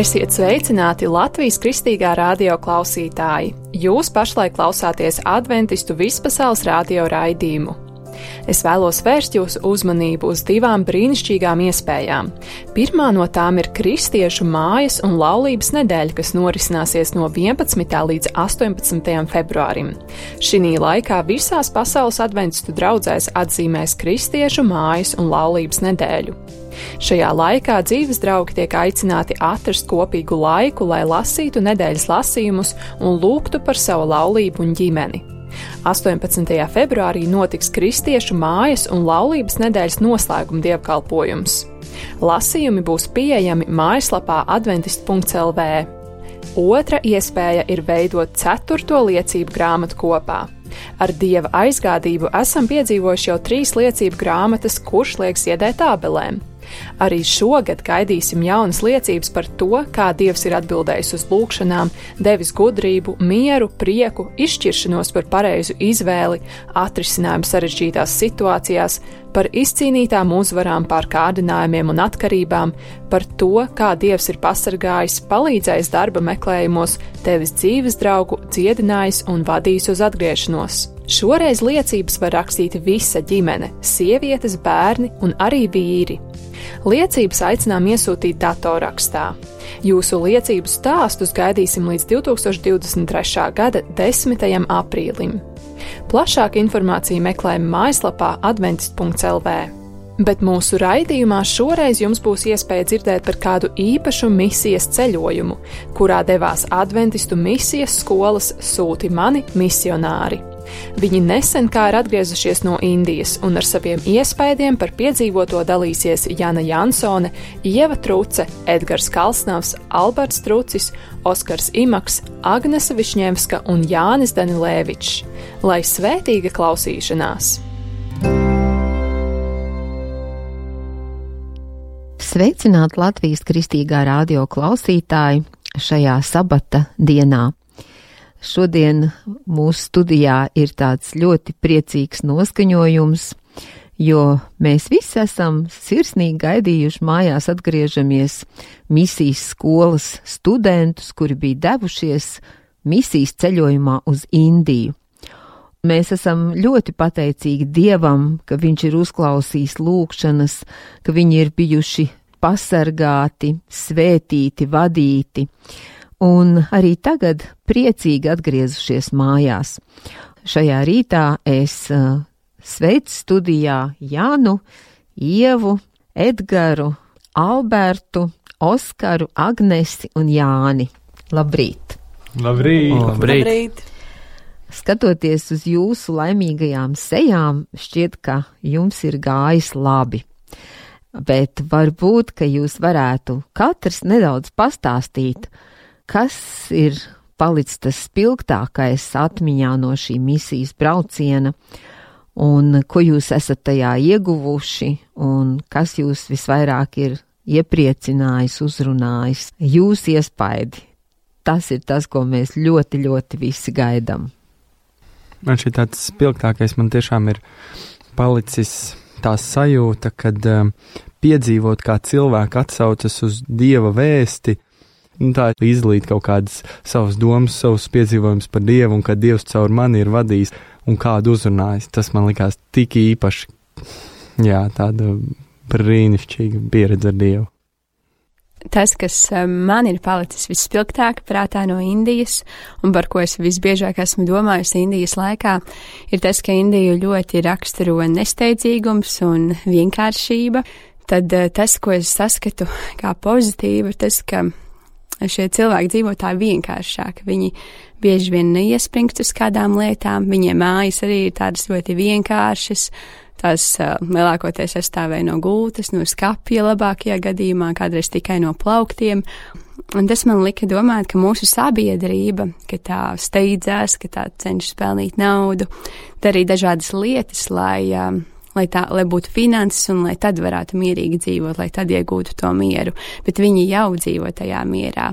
Esiet sveicināti Latvijas Kristīgā radio klausītāji! Jūs pašlaik klausāties Adventistu vispasaules radio raidījumu. Es vēlos vērst jūsu uzmanību uz divām brīnišķīgām iespējām. Pirmā no tām ir Kristiešu mājas un laulības nedēļa, kas norisināsies no 11. līdz 18. februārim. Šinī laikā visās pasaules adventistu draudzēs atzīmēs Kristiešu mājas un laulības nedēļu. Šajā laikā dzīves draugi tiek aicināti atrast kopīgu laiku, lai lasītu nedēļas lasījumus un lūgtu par savu laulību un ģimeni. 18. februārī notiks Kristiešu mājas un laulības nedēļas noslēguma dievkalpojums. Lasījumi būs pieejami mājaslapā adventist.lv. Otra iespēja ir veidot 4. liecību grāmatu kopā. Ar Dieva aizgādību esam piedzīvojuši jau 3 liecību grāmatas, kurš liek ziedēt ābelēm. Arī šogad gaidīsim jaunas liecības par to, kā Dievs ir atbildējis uz lūgšanām, devis gudrību, mieru, prieku, izšķiršanos par pareizu izvēli, atrisinājumu sarežģītās situācijās, par izcīnītām uzvarām pār kārdinājumiem un atkarībām, par to, kā Dievs ir pasargājis, palīdzējis darba meklējumos, devis dzīves draugu, dziedinājis un vadījis uz atgriešanos. Šoreiz liecības var rakstīt visa ģimene, sievietes, bērni un arī vīri. Liecības aicinām iesūtīt datorrakstā. Jūsu liecību stāstus gaidīsim līdz 2023. gada 10. aprīlim. Plašāku informāciju meklējam mājaslapā adventist.lv. Bet mūsu raidījumā šoreiz jums būs iespēja dzirdēt par kādu īpašu misijas ceļojumu, kurā devās adventistu misijas skolas Sūti mani misionāri. Viņi nesen kā ir atgriezušies no Indijas, un ar saviem iespaidiem par piedzīvoto dalīsies Jana Jansone, Ieva Truce, Edgars Kalsnavs, Alberts Trucis, Oskars Imaks, Agnese Višņevska un Jānis Danilēvičs. Lai svētīga klausīšanās! Sveicināt Latvijas Kristīgā radio klausītāji šajā sabata dienā. Šodien mūsu studijā ir tāds ļoti priecīgs noskaņojums, jo mēs visi esam sirsnīgi gaidījuši mājās atgriežamies misijas skolas studentus, kuri bija devušies misijas ceļojumā uz Indiju. Mēs esam ļoti pateicīgi Dievam, ka Viņš ir uzklausījis lūgšanas, ka viņi ir bijuši pasargāti, svētīti, vadīti. Un arī tagad priecīgi atgriezušies mājās. Šajā rītā es sveicu studijā Janu, Ievu, Edgaru, Albertu, Oskaru, Agnesi un Jāni. Labrīt! Labrīt! Labrīt! Skatoties uz jūsu laimīgajām sejām, šķiet, ka jums ir gājis labi. Bet varbūt, ka jūs varētu katrs nedaudz pastāstīt, kas ir palicis tas spilgtākais atmiņā no šī misijas brauciena, un ko jūs esat tajā ieguvuši, un kas jūs visvairāk ir iepriecinājis, uzrunājis, jūs iespaidi. Tas ir tas, ko mēs ļoti, ļoti visi gaidām. Man šī tāds spilgtākais man tiešām ir palicis tā sajūta, kad piedzīvot, kā cilvēki atsaucas uz Dieva vēsti, tā izlīt kaut kādas savas domas, savus piedzīvojumus par Dievu, un kad Dievs caur mani ir vadījis un kādu uzrunājis. Tas man likās tik īpaši, tāda brīnišķīga pieredze ar Dievu. Tas, kas man ir palicis visspilgtāk prātā no Indijas, un par ko es visbiežāk esmu domājusi Indijas laikā, ir tas, ka Indiju ļoti raksturo nesteidzīgums un vienkāršība. Tad tas, ko es saskatu kā pozitīvu, ir tas, ka šie cilvēki dzīvo tā vienkāršāk. Viņi bieži vien neiespringst uz kādām lietām, viņiem mājas arī ir tādas ļoti vienkāršas, tās lielākoties sastāvēja no gultas, no skapja labākajā gadījumā, kādreiz tikai no plauktiem. Un tas man lika domāt, ka mūsu sabiedrība, ka tā steidzās, ka tā cenšas pelnīt naudu, darīt dažādas lietas, lai būtu finanses un lai tad varētu mierīgi dzīvot, lai tad iegūtu to mieru, bet viņi jau dzīvo tajā mierā.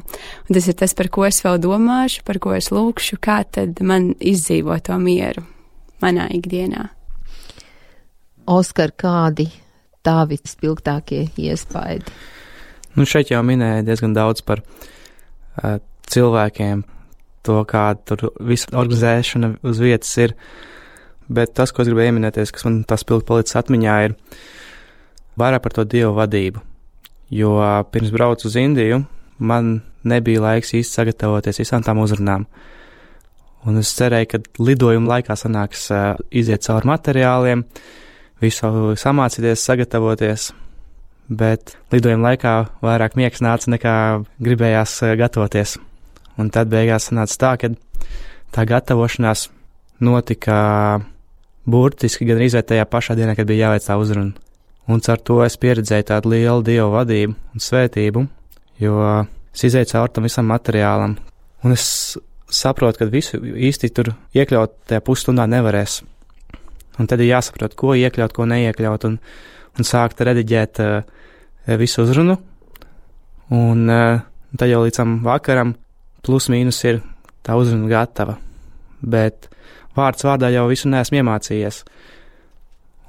Un tas ir tas, par ko es vēl domāšu, par ko es lūkšu, kā tad man izdzīvo to mieru manā ikdienā. Oskar, kādi tavi spilgtākie iespaidi? Šeit jau minēja diezgan daudz par cilvēkiem, to, kā tur visa organizēšana uz vietas ir, bet tas, ko es gribēju ieminēties, kas man tas pilgi palicis atmiņā, ir vairāk par to Dievu vadību, jo pirms braucu uz Indiju, man nebija laiks īsti sagatavoties visām tām uzrunām, un es cerēju, ka lidojuma laikā sanāks iziet cauri materiāliem, visu samācīties, sagatavoties, bet lidojuma laikā vairāk miegs nāca nekā gribējās gatavoties. Un tad beigās sanāca tā, ka tā gatavošanās notika burtiski gan arī tajā pašā dienā, kad bija jāveic tā uzruna. Un ar to es pieredzēju tādu lielu Dievu vadību un svētību, jo es izēju cauri tam visam materiālam. Un es saprotu, ka visu īsti tur iekļaut tajā pusstundā nevarēs. Un tad ir jāsaprot, ko iekļaut, ko neiekļaut, un sākt rediģēt visu uzrunu. Un tad jau līdz tam vakaram plus mīnus ir tā uzruna gatava, bet vārds vārdā jau visu neesmu iemācījies.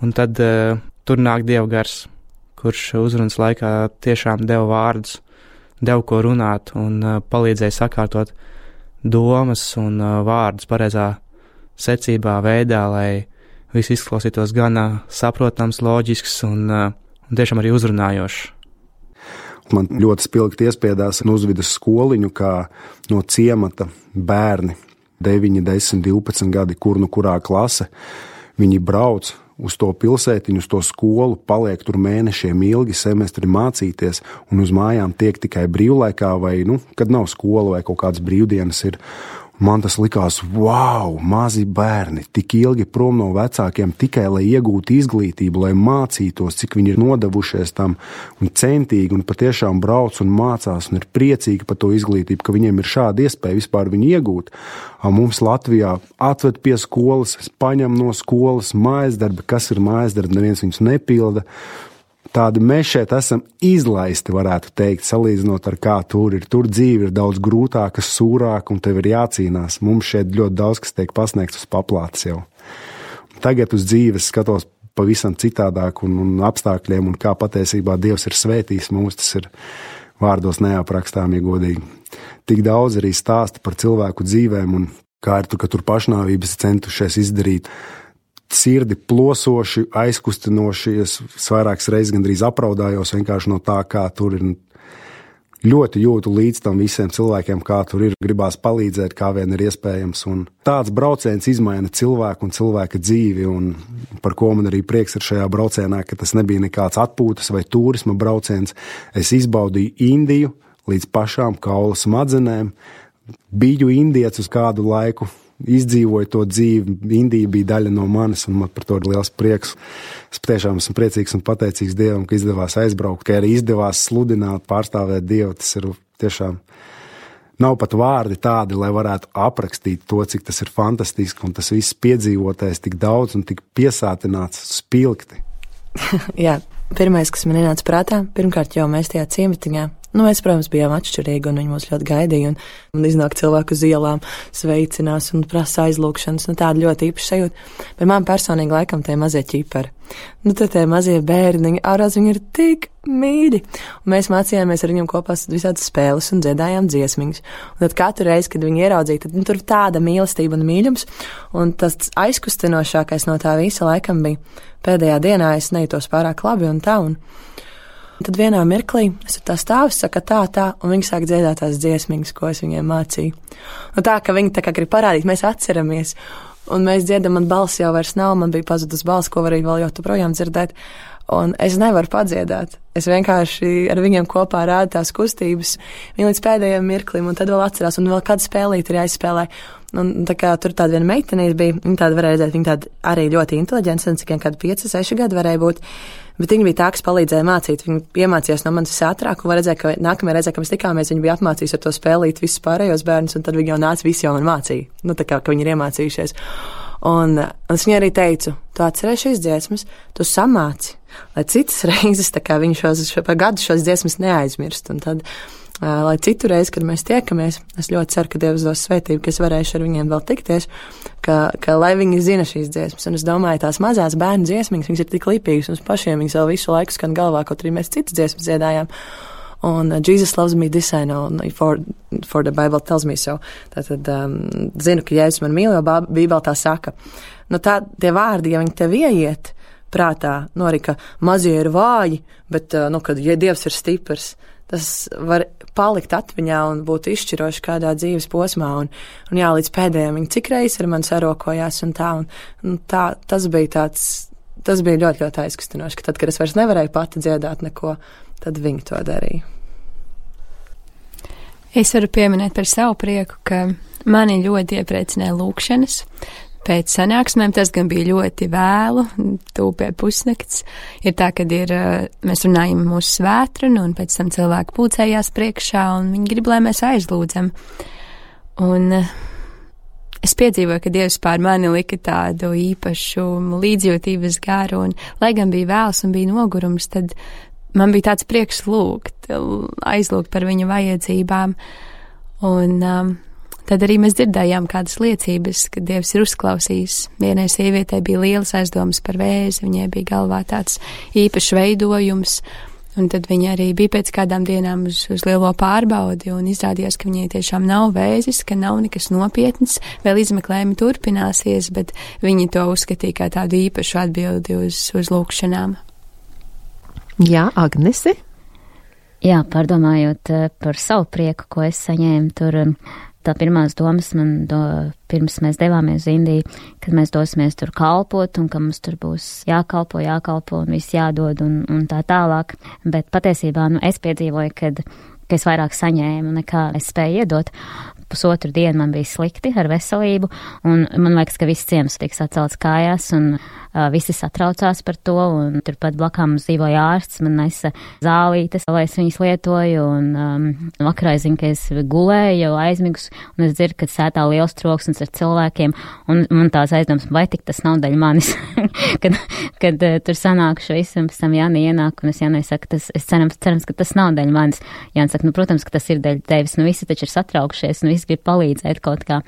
Un tad tur nāk Dieva gars, kurš uzrunas laikā tiešām deva vārdus, deva ko runāt un palīdzēja sakārtot domas un vārdus pareizā secībā, veidā, lai viss izklausītos gan saprotams, loģisks un tiešām arī uzrunājošs. Man ļoti spilgti iespiedās uzvidas skoliņu, kā no ciemata bērni, 9, 10, 12 gadi, kurā klase, viņi brauc uz to pilsētiņu, uz to skolu, paliek tur mēnešiem ilgi, semestri mācīties, un uz mājām tiek tikai brīvlaikā vai, kad nav skola vai kaut kādas brīvdienas ir. Man tas likās, wow, mazi bērni, tik ilgi prom no vecākiem tikai, lai iegūtu izglītību, lai mācītos, cik viņi ir nodevušies tam un centīgi un patiešām brauc un mācās un ir priecīgi par to izglītību, ka viņiem ir šāda iespēja vispār viņu iegūt. Mums Latvijā atved pie skolas, paņem no skolas mājasdarbi, kas ir mājasdarbi, neviens viņus nepilda. Tādi mēs šeit esam izlaisti, varētu teikt, salīdzinot ar kā tur ir. Tur dzīve ir daudz grūtāka, sūrāka, un tev ir jācīnās. Mums šeit ļoti daudz, kas tiek pasniegts uz paplātes jau. Tagad uz dzīves skatos pavisam citādāk un apstākļiem, un kā patiesībā Dievs ir svētījis mums, tas ir vārdos neaprakstām, ja godīgi. Tik daudz arī stāsta par cilvēku dzīvēm, un kā ir tur, ka tur pašnāvības centušies izdarīt, sirdi plosoši, aizkustinoši, es vairākas reizes gandrīz apraudājos vienkārši no tā, kā tur ir. Ļoti jūtu līdz tam visiem cilvēkiem, kā tur ir, gribās palīdzēt, kā vien ir iespējams. Un tāds brauciens izmaina cilvēku un cilvēka dzīvi, un par ko man arī prieks ir šajā braucienā, ka tas nebija nekāds atpūtas vai turisma brauciens. Es izbaudīju Indiju līdz pašām kaula smadzenēm, biju indietis uz kādu laiku, izdzīvoju to dzīvi, Indija bija daļa no manis, un man par to ir liels prieks. Es patiešām esmu priecīgs un pateicīgs Dievam, ka izdevās aizbraukt, ka arī izdevās sludināt, pārstāvēt Dievu. Tas ir tiešām, nav pat vārdi tādi, lai varētu aprakstīt to, cik tas ir fantastiski, un tas viss piedzīvotais tik daudz un tik piesātināts, spilgti. Jā, pirmais, kas man ienāca prātā, pirmkārt jau mēs tajā ciematiņā. Mēs, protams, bijām atšķirīgi, un viņi mūs ļoti gaidīja, un iznāk cilvēku uz ielām, sveicinās un prasa aizlūkšanas, tāda ļoti īpaša sajūta. Bet man personīgi laikam tie mazie ķipari. Tad tie mazie bērniņi, ārās viņi ir tik mīļi. Un mēs mācījāmies ar viņiem kopā visādas spēles un dziedājām dziesmiņas. Un tad katru reizi, kad viņi ieraudzīja, tad tur tāda mīlestība un mīļums, un tas aizkustinošākais no tā visa laikam bija pēdējā dienā, es nejūtos pārāk labi un tā, un tad vienā mirklī es ar tā stāvu, saka tā, un viņi sāk dziedāt tās dziesmiņas, ko es viņiem mācīju. Un tā, ka viņi tā kā grib parādīt, mēs atceramies, un mēs dziedam, man balss jau vairs nav, man bija pazudus balss, ko varēja vēl jau projām dzirdēt, un es nevaru padziedāt. Es vienkārši ar viņiem kopā rādu tās kustības, viņi līdz pēdējiem mirklim, un tad vēl atcerās, un vēl kādu spēlīt ir jāizspēlē. Un tā kā tur tāda viena meitenīte bija, viņa tāda varēja redzēt, viņa tāda arī ļoti inteliģents, un cik kādi 5, 6 gadi varēja būt, bet viņa bija tā, kas palīdzēja mācīt, viņa iemācījās no manis visātrāk, un var redzēt, ka nākamajā reizē, kad mēs tikāmies, viņa bija apmācījis ar to spēlīt visus pārējos bērnus, un tad viņa jau nāca, visi jau man mācīja, tā kā, ka viņi ir iemācījušies. Un es viņai arī teicu, tu atceries šīs dziesmas, tu samāci, lai citas reizes, tā kā viņi par gadu šos dziesmas neaizmirst, un tad lai citu reizi, kad mēs tiekamies, es ļoti ceru, ka Dievs dos svētību, ka es varēšu ar viņiem vēl tikties, ka lai viņi zina šīs dziesmas. Un es domāju, tās mazās bērnu dziesmiņas, viņas ir tik lipīgas, un pašiem viņas vēl visu laiku skan galvā, kaut arī mēs citas dziesmas dziedājām. Un Jesus loves me this I know, for the Bible tells me so. Tātad zinu, ka Jēzus man mīl, jo Bībele tā saka. Nu tā, tie vārdi, ja viņi tev ieiet prātā, nu arī, ka mazie ir vāji, bet, nu, kad ja Dievs ir stiprs, tas var palikt atmiņā un būt izšķiroši kādā dzīves posmā. Un jā, līdz pēdējiem viņi cik reizes ar mani sarokojās un tā, tas bija ļoti, ļoti aizkustinoši, ka tad, kad es vairs nevarēju pati dziedāt neko, tad viņi to darīja. Es varu pieminēt par savu prieku, ka mani ļoti iepriecināja lūkšanas. Pēc sanāksmēm tas gan bija ļoti vēlu, tuvu pie pusnakts. Ir tā, kad mēs runājam mūsu svētrunu, un pēc tam cilvēki pulcējās priekšā, un viņi grib, lai mēs aizlūdzam. Un es piedzīvoju, ka Dievs pār mani lika tādu īpašu līdzjūtības garu, un lai gan bija vēls un bija nogurums, tad man bija tāds prieks aizlūgt par viņa vajadzībām. Un tad arī mēs dzirdējām kādas liecības, ka Dievs ir uzklausījis. Vienai sievietei bija lielas aizdomas par vēzi, viņai bija galvā tāds īpašs veidojums, un tad viņa arī bija pēc kādām dienām uz lielo pārbaudi, un izrādījās, ka viņai tiešām nav vēzis, ka nav nekas nopietns, vēl izmeklējumi turpināsies, bet viņi to uzskatīja kā tādu īpašu atbildi uz lūkšanām. Jā, Agnese? Jā, pārdomājot par savu prieku, ko es saņēmu tur, tā pirmās domas man pirms mēs devāmies uz Indiju, kad mēs dosimies tur kalpot un ka mums tur būs jākalpo un viss jādod un tā tālāk. Bet patiesībā, es piedzīvoju, ka es vairāk saņēmu nekā es spēju iedot. Pusotru dienu man bija slikti ar veselību, un man liekas, ka viss ciems tiks atcelts kājās, un visi satraucās par to, un turpat blakām mums dzīvoja ārsts, man nesa zālītes, lai es viņas lietoju, un vakarā es zinu, ka es gulēju jau aizmigus, un es dzirdu, ka sētā liels troksnis ar cilvēkiem, un man tās aizdomas, vai tik tas nav daļa manis, kad tur sanākuši visi, un pēc tam Jāni ienāk, un es Jānai saku, es cerams, ka tas nav daļa manis. Jāni saka, protams, ka tas ir daļa tevis, visi taču ir satraukšies, visi grib palīdzēt kaut kā.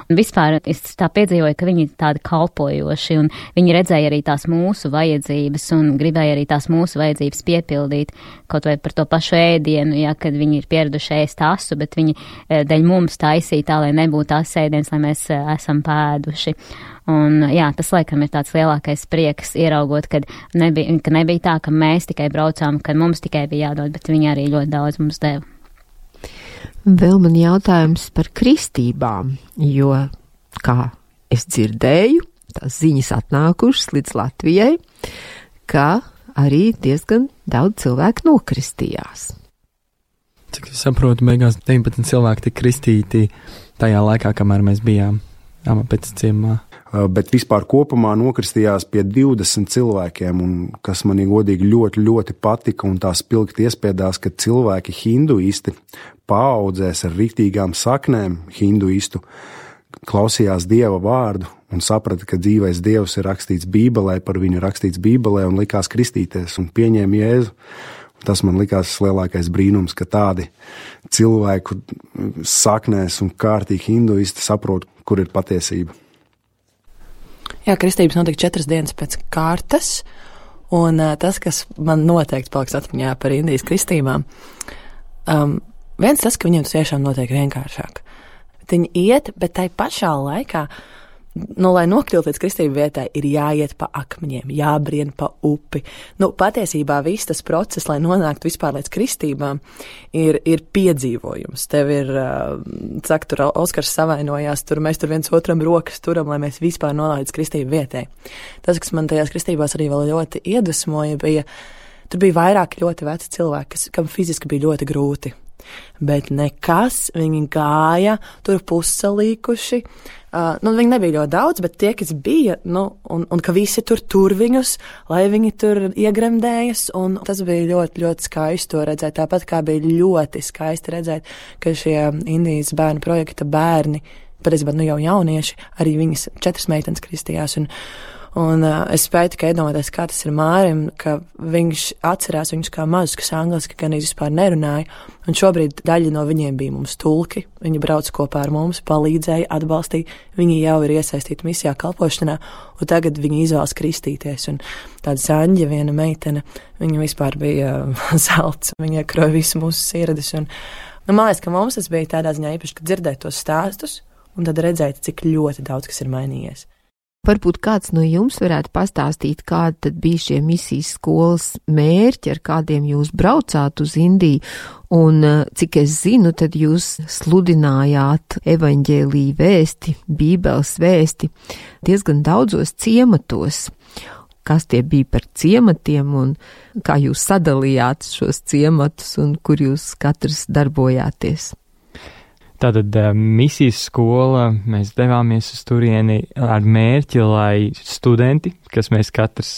Un vispār es tā piedzīvoju, ka viņi tādi kalpojoši, un viņi redzēja arī tās mūsu vajadzības, un gribēja arī tās mūsu vajadzības piepildīt, kaut vai par to pašu ēdienu, ja, kad viņi ir pieraduši ēst asu, bet viņi dēļ mums taisīja tā, lai nebūtu tas ēdiens, lai mēs esam pēduši. Un jā, tas laikam ir tāds lielākais prieks ieraugot, ka nebija tā, ka mēs tikai braucām, ka mums tikai bija jādod, bet viņi arī ļoti daudz mums deva. Vēl man jautājums par kristībām, jo, kā es dzirdēju, tās ziņas atnākušas līdz Latvijai, ka arī diezgan daudz cilvēku nokristījās. Cik es saprotu, beigās 19 cilvēki tika kristīti tajā laikā, kamēr mēs bijām pēc ciemā. Bet vispār kopumā nokristījās pie 20 cilvēkiem, un kas man godīgi ļoti, ļoti patika, un tā spilgti iespiedās, ka cilvēki hinduisti paaudzēs ar riktīgām saknēm hinduistu klausījās Dieva vārdu un saprata, ka dzīvais Dievs ir rakstīts Bībelē, par viņu rakstīts Bībelē, un likās kristīties un pieņēma Jēzu. Tas man likās lielākais brīnums, ka tādi cilvēku saknēs un kārtīgi hinduisti saprot, kur ir patiesība. Jā, kristības notika 4 dienas pēc kārtas, un tas, kas man noteikti paliks atmiņā par Indijas kristībām, viens tas, ka viņiem tas tiešām notiek vienkāršāk. Viņi iet, bet tai pašā laikā, lai nokļūtu līdz kristību vietai, ir jāiet pa akmeņiem, jābrien pa upi. Patiesībā viss tas process, lai nonāktu vispār līdz kristībām, ir piedzīvojums. Tev ir, tur Oskars savainojās, mēs tur viens otram rokas turam, lai mēs vispār nonāktu līdz kristību vietai. Tas, kas man tajās kristībās arī vēl ļoti iedvesmoja, tur bija vairāk ļoti veci cilvēki, kam fiziski bija ļoti grūti. Bet nekas, viņi gāja, tur pussalīkuši. Viņi nebija ļoti daudz, bet tie, kas bija, un ka visi tur viņus, lai viņi tur iegremdējas, un tas bija ļoti, ļoti skaisti to redzēt. Tāpat kā bija ļoti skaisti redzēt, ka šie Indijas bērnu projekta bērni, patiesībā jau jaunieši, arī viņas 4 meitenes kristījās, Un es spēju tikai iedomāties, kā tas ir Mārim, ka viņš atcerās viņus kā mazus, kas angliski gan vispār nerunāja, un šobrīd daļa no viņiem bija mums tulki, viņi brauc kopā ar mums, palīdzēja, atbalstīja, viņi jau ir iesaistīti misijā kalpošanā, un tagad viņi izvēlas kristīties, un tāda Saņģa, viena meitene, viņa vispār bija zelts, viņa iekroja visu mūsu sirdis, un man liekas, ka mums tas bija tādā ziņā īpaši, ka dzirdēt tos stāstus, un tad redzēt, cik ļoti daudz kas ir mainījies. Varbūt kāds no jums varētu pastāstīt, kādi tad bija šie misijas skolas mērķi, ar kādiem jūs braucāt uz Indiju, un cik es zinu, tad jūs sludinājāt evaņģēliju vēsti, Bībeles vēsti diezgan daudzos ciematos. Kas tie bija par ciematiem un kā jūs sadalījāt šos ciematus un kur jūs katrs darbojāties? Tātad misijas skola, mēs devāmies uz turieni ar mērķi, lai studenti, kas mēs katrs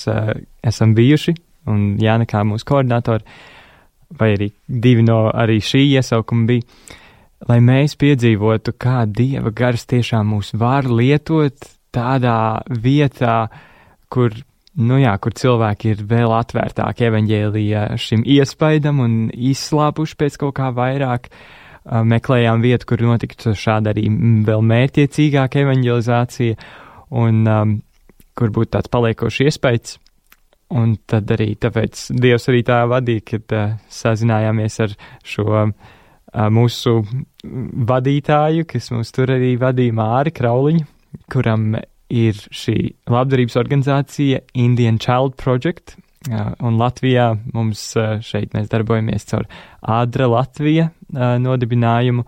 esam bijuši, un Jāna kā mūsu koordinātori, vai arī divi no arī šī iesaukuma bija, lai mēs piedzīvotu, kā Dieva gars tiešām mūs var lietot tādā vietā, kur cilvēki ir vēl atvērtāki evaņģēlija šim iespaidam un izslāpuši pēc kaut kā vairāk. Meklējām vietu, kur notiktu šāda arī vēl mērķiecīgāka evaņģelizācija un kur būtu tāds paliekošs iespējas. Un tad arī tāpēc Dievs arī tā vadīja, kad sazinājāmies ar šo mūsu vadītāju, kas mūs tur arī vadīja, Māri Krauliņu, kuram ir šī labdarības organizācija Indian Child Project. Un Latvijā mums šeit mēs darbojamies caur Ādra Latvija nodibinājumu,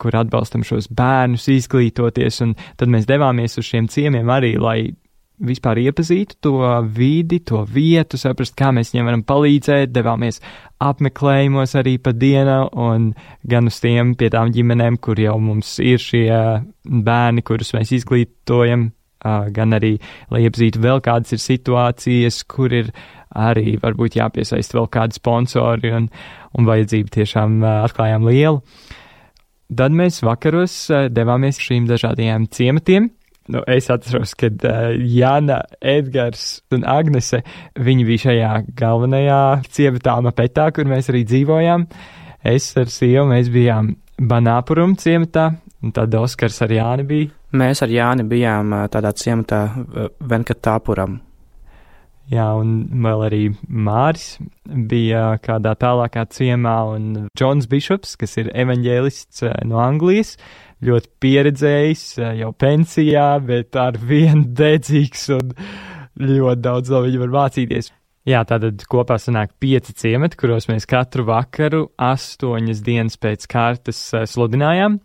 kur atbalstam šos bērnus izglītoties, un tad mēs devāmies uz šiem ciemiem arī, lai vispār iepazītu to vidi, to vietu, saprast, kā mēs viņiem varam palīdzēt, devāmies apmeklējumos arī pa dienu, un gan uz tiem pie tām ģimenēm, kur jau mums ir šie bērni, kurus mēs izglītojam, gan arī, lai iepazītu vēl kādas ir situācijas, kur ir arī varbūt jāpiesaist vēl kādi sponsori un vajadzību tiešām atklājām lielu. Tad mēs vakaros devāmies šīm dažādajām ciematiem. Es atceros, kad Jāna, Edgars un Agnese, viņi bija šajā galvenajā ciematā Mapetā, kur mēs arī dzīvojām. Es ar sievu, mēs bijām Banāpurum ciematā, un tad Oskars ar Jāni bija. Mēs ar Jāni bijām tādā ciematā Venkatāpuram. Jā, un vēl arī Māris bija kādā tālākā ciemā, un Džons Bišops, kas ir evaņģēlists no Anglijas, ļoti pieredzējis, jau pensijā, bet ar vienu dedzīgs un ļoti daudz no viņa var mācīties. Jā, tātad kopā sanāk 5 ciemati, kuros mēs katru vakaru 8 dienas pēc kārtas sludinājām.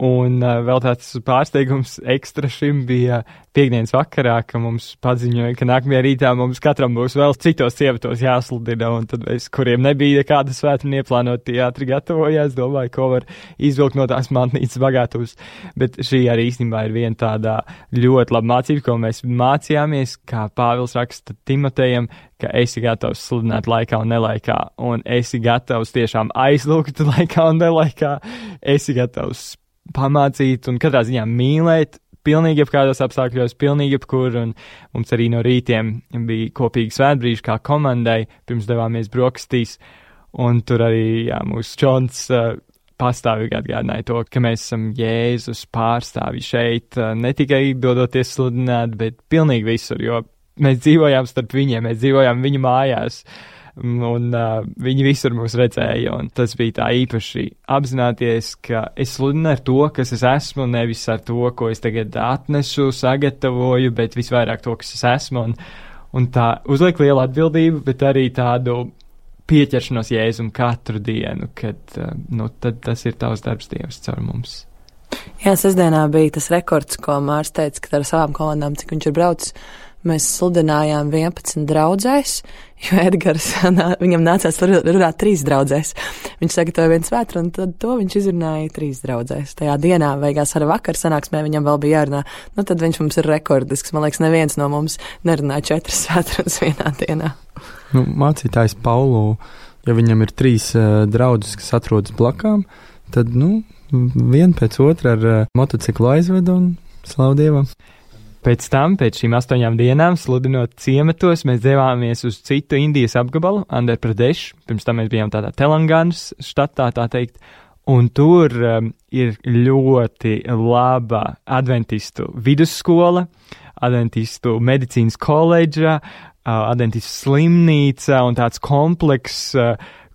Un vēl tāds pārsteigums ekstra šim bija piekdienas vakarā, ka mums paziņoja, ka nākamajā rītā mums katram būs vēl citos ciematos jāsludina, un tad mēs, kuriem nebija nekāda svētdiena ieplānota, tie ātri gatavojās, domāju, ko var izvilkt no tās mantnīcas bagātuvas. Bet šī arī īstenībā ir viena tāda ļoti laba mācība, ko mēs mācījāmies, kā Pāvils raksta Timotejam, ka esi gatavs sludināt laikā un nelaikā, un esi gatavs tiešām aizlūgt laikā un nelaikā, esi gatavs pamācīt un katrā ziņā mīlēt pilnīgi jebkādos apstākļos, pilnīgi jebkur, un mums arī no rītiem bija kopīgi svētbrīži kā komandai, pirms devāmies brokastīs, un tur arī, mūsu Džons pastāvīgi atgādināja to, ka mēs esam Jēzus pārstāvji šeit, ne tikai dodoties sludināt, bet pilnīgi visur, jo mēs dzīvojām starp viņiem, mēs dzīvojām viņu mājās, un viņi visur mūs redzēja, un tas bija tā īpaši apzināties, ka es sludinu ar to, kas es esmu, nevis ar to, ko es tagad atnesu, sagatavoju, bet visvairāk to, kas es esmu, un tā uzliek lielu atbildību, bet arī tādu pieķeršanos Jēzum katru dienu, kad, tad tas ir tavs darbs, Dievs, caur mums. Jā, sestdienā bija tas rekords, ko Mārs teica, ka ar savām komandām, cik viņš ir braucis, mēs sludinājām 11 draudzēs, jo Edgars, viņam nācās runāt 3 draudzēs. Viņš sagatavoja viens svētru, un tad to viņš izrunāja 3 draudzēs. Tajā dienā, beigās ar vakar sanāksmē, viņam vēl bija jārunā. Tad viņš mums ir rekordisks. Man liekas, neviens no mums nerunāja 4 svētrunas vienā dienā. Mācītājs Paulu, ja viņam ir 3 draudzes, kas atrodas blakām, tad, vien pēc otra ar motociklu aizved un slavu Dievam. Pēc tam, pēc šīm 8 dienām, sludinot ciematos, mēs devāmies uz citu Indijas apgabalu, Andhra Pradesh. Pirms tam mēs bijām tādā Telanganas štatā, tā teikt. Un tur ir ļoti laba adventistu vidusskola, adventistu medicīnas koledža, adventistu slimnīca un tāds komplekss,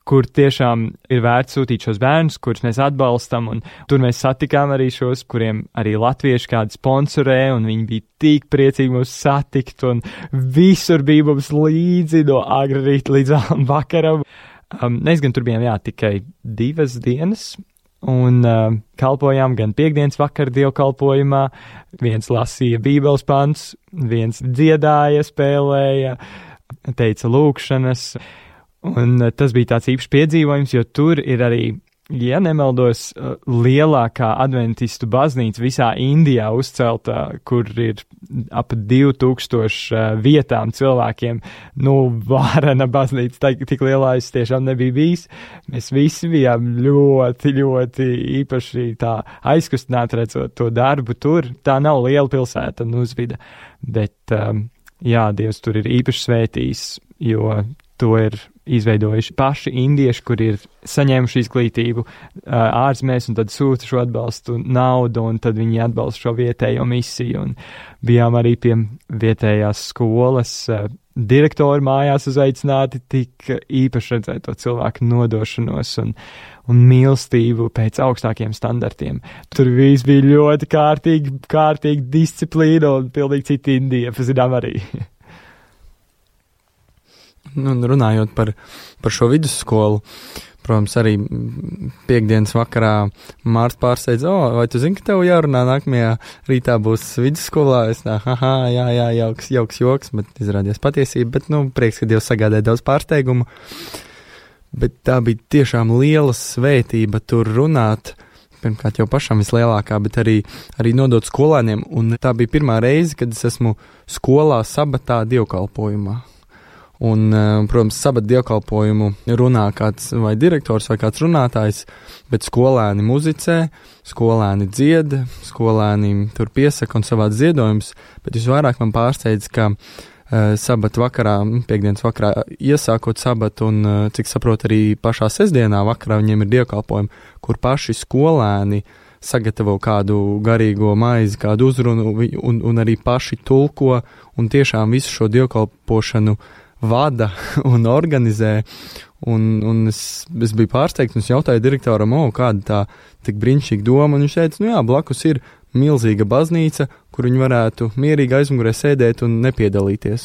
kur tiešām ir vērts sūtīt šos bērnus, kurus mēs atbalstam, un tur mēs satikām arī šos, kuriem arī latvieši kādi sponsorē, un viņi bija tik priecīgi mūs satikt, un visur bija mums līdzi no agra rīta līdz vakaram. Mēs gan tur bijām, tikai 2 dienas, un kalpojām gan piekdienas vakar dievkalpojumā, viens lasīja bībeles pants, viens dziedāja, spēlēja, teica lūkšanas. Un tas bija tāds īpašs piedzīvojums, jo tur ir arī, ja nemaldos, lielākā adventistu baznīca visā Indijā uzcelta, kur ir ap 2000 vietām cilvēkiem. Vārena baznīca, tik lielā es tiešām nebija bijis. Mēs visi bijām ļoti, ļoti īpaši tā aizkustināti redzot to darbu tur. Tā nav liela pilsēta, Nuzvida, bet Dievs tur ir īpaši svētījis, jo to ir izveidojuši paši indieši, kur ir saņēmuši izglītību ārzemēs un tad sūta šo atbalstu naudu, un tad viņi atbalsta šo vietējo misiju. Un bijām arī pie vietējās skolas direktoru mājās uzaicināti, tik īpaši redzēt to cilvēku nodošanos un mīlestību pēc augstākiem standartiem. Tur viss bija ļoti kārtīgi disciplīna un pilnīgi cita Indija, pazinām arī. Runājot par šo vidusskolu, protams, arī piekdienas vakarā Mārts pārsteidz, vai tu zini, ka tev jārunā nākamajā rītā būs vidusskolā? Es tā, jauks joks, bet izrādījās patiesība, bet, prieks, ka Dievs sagādāja daudz pārsteigumu. Bet tā bija tiešām liela svētība tur runāt, pirmkārt jau pašam vislielākā, bet arī nodot skolēniem, un tā bija pirmā reize, kad es esmu skolā sabatā dievkalpojumā. Un, protams, sabata dievkalpojumu runā kāds vai direktors vai kāds runātājs, bet skolēni muzicē, skolēni dzied, skolēni tur piesaka un savāc ziedojumus, bet visvairāk man pārsteidz, ka sabata vakarā, piekdienas vakarā iesākot sabatu un, cik saprot, arī pašā sestdienā vakarā viņiem ir dievkalpojumi, kur paši skolēni sagatavo kādu garīgo maizi, kādu uzrunu un arī paši tulko un tiešām visu šo dievkalpošanu vada un organizē, un es biju pārsteigts, un es jautāju direktoram, kāda tā tik brīnišķīga doma, un viņš teica, blakus ir milzīga baznīca, kur viņi varētu mierīgi aizmugurē sēdēt un nepiedalīties,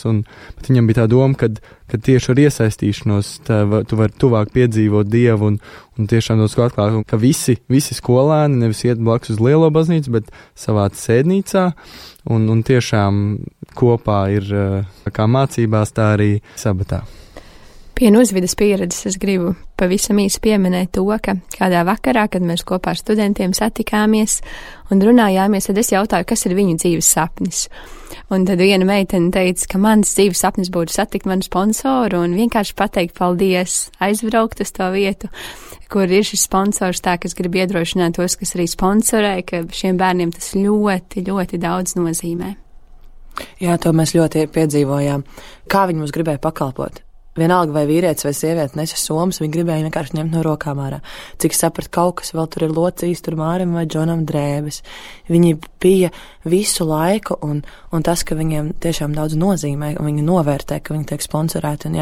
bet viņam bija tā doma, ka tieši ar iesaistīšanos tu vari tuvāk piedzīvot Dievu, un tiešām dos atklāt, ka visi skolēni nevis iet blakus uz lielo baznīcu, bet savā sēdnīcā, un tiešām kopā ir kā mācībās, tā arī sabatā. Pie Nuzvidas pieredzes es gribu pavisam īsi pieminēt to, ka kādā vakarā, kad mēs kopā ar studentiem satikāmies un runājāmies, tad es jautāju, kas ir viņu dzīves sapnis. Un tad viena meitene teica, ka mans dzīves sapnis būtu satikt manu sponsoru un vienkārši pateikt paldies, aizbraukt uz to vietu, kur ir šis sponsors, tā, kas grib iedrošināt tos, kas arī sponsorē, ka šiem bērniem tas ļoti, ļoti daudz nozīmē. Jā, to mēs ļoti piedzīvojām. Kā viņi mums gribēja pakalpot? Vienalga vai vīrietis vai sieviete nesa somas, viņi gribēja vienkārši ņemt no rokām ārā. Cik sapratu, kaut kas vēl tur ir locījis, tur Mārim vai Džonam drēbes. Viņi bija visu laiku, un tas, ka viņiem tiešām daudz nozīmē, un viņi novērtē, ka viņi tiek sponsorēti, un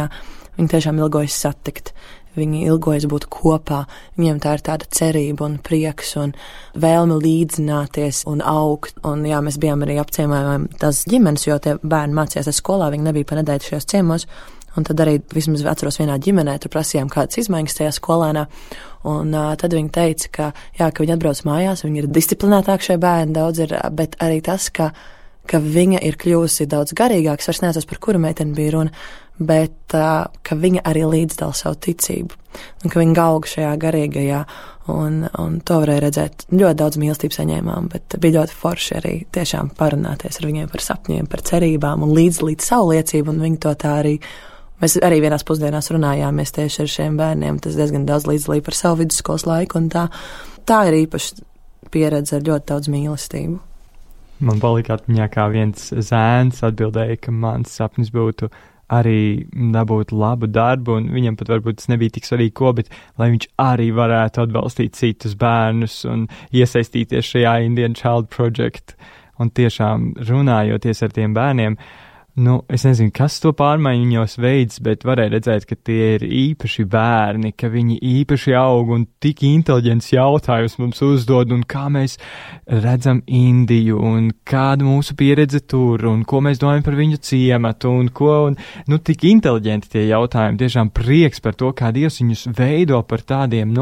viņi tiešām ilgojas satikt. Viņi ilgojas būt kopā, viņiem tā ir tāda cerība un prieks un vēlme līdzināties un augt. Un mēs bijām arī apciemojām tās ģimenes, jo tie bērni mācījās skolā, viņi nebija pa nedēļu šajos ciemos. Un tad arī vismaz atceros vienā ģimenē, tur prasījām kādas izmaiņas tajā skolēnā. Un tad viņi teica, ka viņi atbrauc mājās, viņi ir disciplinētāki šie bērni daudz ir, bet arī tas, ka viņa ir kļūsi daudz garīgāka, es vairs neatceros, par kuru meiteni bija runa, bet ka viņa arī līdzdala savu ticību, un ka viņa auga šajā garīgajā, un to varēja redzēt. Ļoti daudz mīlestības saņēmām, bet bija ļoti forši arī tiešām parunāties ar viņiem par sapņiem, par cerībām un līdzdalīt savu liecību, un viņi to tā arī. Mēs arī vienās pusdienās runājāmies tieši ar šiem bērniem, tas diezgan daudz līdzdalīja par savu vidusskolas laiku, un tā ir īpaša pieredze ar ļoti daudz mīlestību. Man palika atmiņā, kā viens zēns atbildēja, ka mans sapnis būtu arī dabūt labu darbu, un viņam pat varbūt tas nebija tik svarīgi ko, bet lai viņš arī varētu atbalstīt citus bērnus un iesaistīties šajā Indian Child Project. Un tiešām runājoties ar tiem bērniem, es nezinu, kas to pārmaiņu viņos veids, bet varēja redzēt, ka tie ir īpaši bērni, ka viņi īpaši aug un tik inteliģents jautājums mums uzdod, un kā mēs redzam Indiju, un kāda mūsu pieredze tur, un ko mēs domājam par viņu ciematu, un tik inteliģenti tie jautājumi, tiešām prieks par to, kā Dievs viņus veido par tādiem,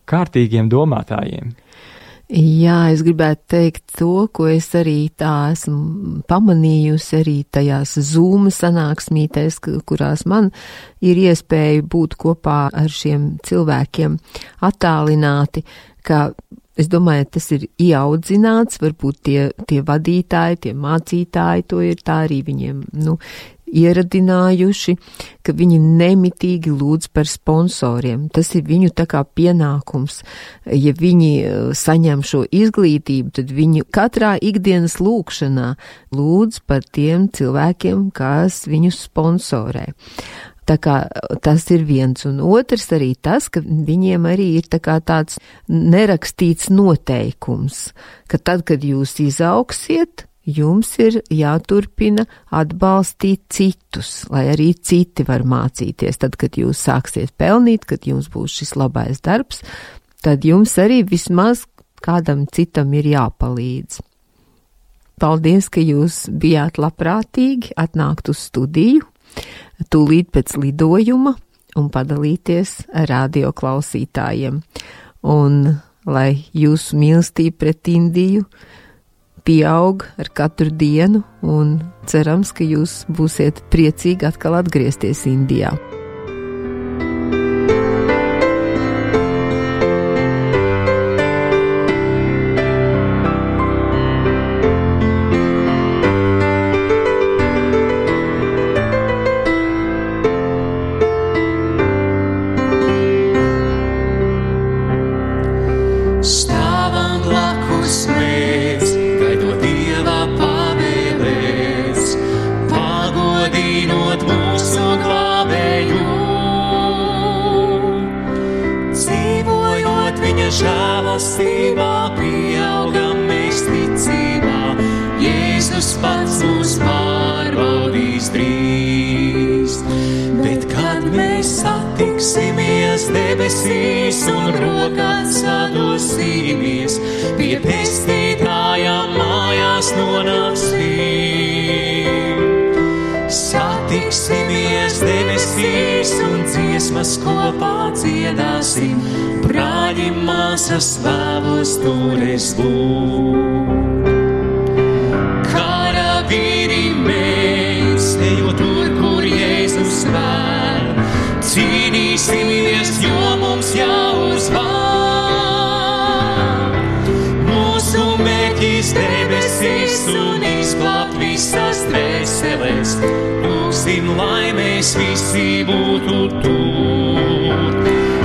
kārtīgiem domātājiem. Jā, es gribētu teikt to, ko es arī tā esmu pamanījusi arī tajās Zoom sanāksmītēs, kurās man ir iespēja būt kopā ar šiem cilvēkiem attālināti, ka es domāju, tas ir ieaudzināts, varbūt tie vadītāji, tie mācītāji, to ir tā arī viņiem, ieradinājuši, ka viņi nemitīgi lūdz par sponsoriem. Tas ir viņu tā kā pienākums. Ja viņi saņem šo izglītību, tad viņi katrā ikdienas lūkšanā lūdz par tiem cilvēkiem, kas viņus sponsorē. Tā kā tas ir viens, un otrs arī tas, ka viņiem arī ir tā kā tāds nerakstīts noteikums, ka tad, kad jūs izaugsiet, jums ir jāturpina atbalstīt citus, lai arī citi var mācīties. Tad, kad jūs sāksiet pelnīt, kad jums būs šis labais darbs, tad jums arī vismaz kādam citam ir jāpalīdz. Paldies, ka jūs bijāt labprātīgi atnākt uz studiju, tūlīt pēc lidojuma un padalīties ar radio klausītājiem. Un lai jūsu mīlestība pret Indiju pieaug ar katru dienu, un cerams, ka jūs būsiet priecīgi atkal atgriezties Indijā. Žēlastībā pieaugam mēs ticībā, Jēzus pats mūs pārbaudīs drīz. Bet kad mēs satiksimies debesīs un rokās sadosīmies, pie pestītāja mājās nonāksim. Satiksimies debesīs un dziesmas kopā dziedāsim, brāļi māsas vēlos tur es būt. Karavīri mēs, ejot tur, kur Jēzus vēl, cīnīsimies, jo mums jāuzvar. Mūsu mērķis debesīs un izglābt visas dvēseles, lūgsim, lai mēs visi būtu tur.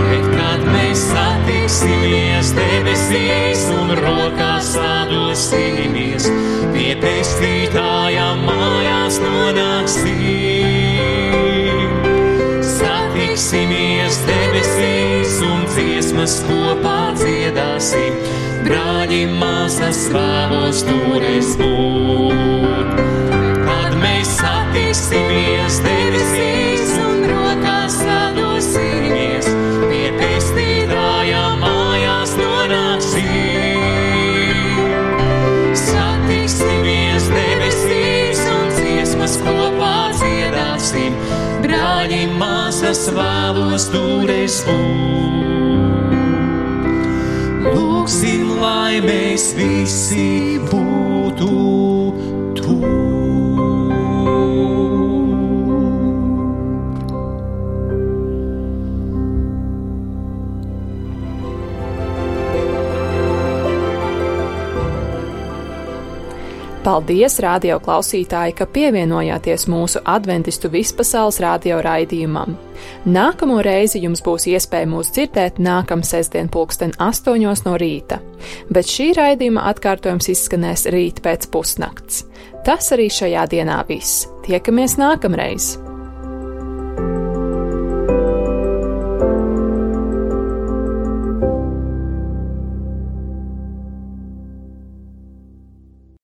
Bet kad mēs satiksimies debesīs un rokās sadosimies, pie pestītāja mājās nonāksim. Satiksimies debesīs un dziesmas kopā dziedāsim, brāļi māsas vēlos tur es būt. Kad mēs satiksimies debesīs un rokās sadosimies, pie pestītāja mājās nonāksim. Satiksimies debesīs un dziesmas kopā dziedāsim, brāļi māsas vēlos tur es būt. Lūgsim, lai mēs visi būtu tur. Paldies, radio klausītāji, ka pievienojāties mūsu adventistu vispasaules radio raidījumam. Nākamo reizi jums būs iespēja mūs dzirdēt nākamā sestdien 8:00 no rīta, bet šī raidījuma atkārtojums izskanēs rīt pēc pusnakts. Tas arī šajā dienā viss. Tiekamies nākamreiz!